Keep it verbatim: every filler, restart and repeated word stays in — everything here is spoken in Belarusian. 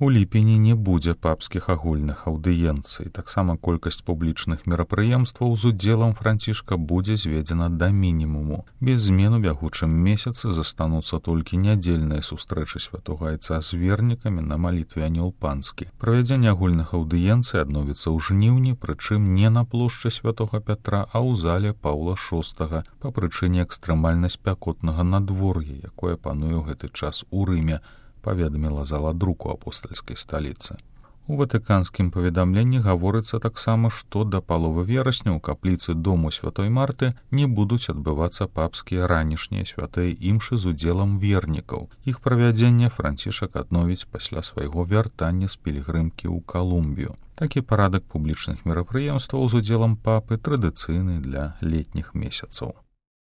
У ліпені не будзе папскіх агульных аўдыенцый. Таксама колькасць публічных мерапрыемстваў з удзелам Францішка будзе зведзена да мінімуму. Без змен у бягучым месяцы застануцца толькі нядзельныя сустрэчы святога айца з вернікамі на малітве Анёл Панскі. Правядзенне агульных аўдыенцый адновіцца ў жніўні, прычым не на плошчы святога Пятра, а ў зале Паўла шостага па прычыне экстрэмальна спякотнага надвор'я, якое пануе ў гэты час у Рыме, паведаміла зала друку апостальскай сталіцы. У ватыканскім паведамленні гаворыцца таксама, што да паловы верасня ў капліцы дому святой Марты не будуць адбывацца папскія ранішнія святыя імшы з удзелам вернікаў. Іх правядзенне Францішак адновіць пасля свайго вяртання з пілігрымкі ў Калумбію. Такі парадак публічных мерапрыемстваў з удзелам папы традыцыйны для летніх месяцаў.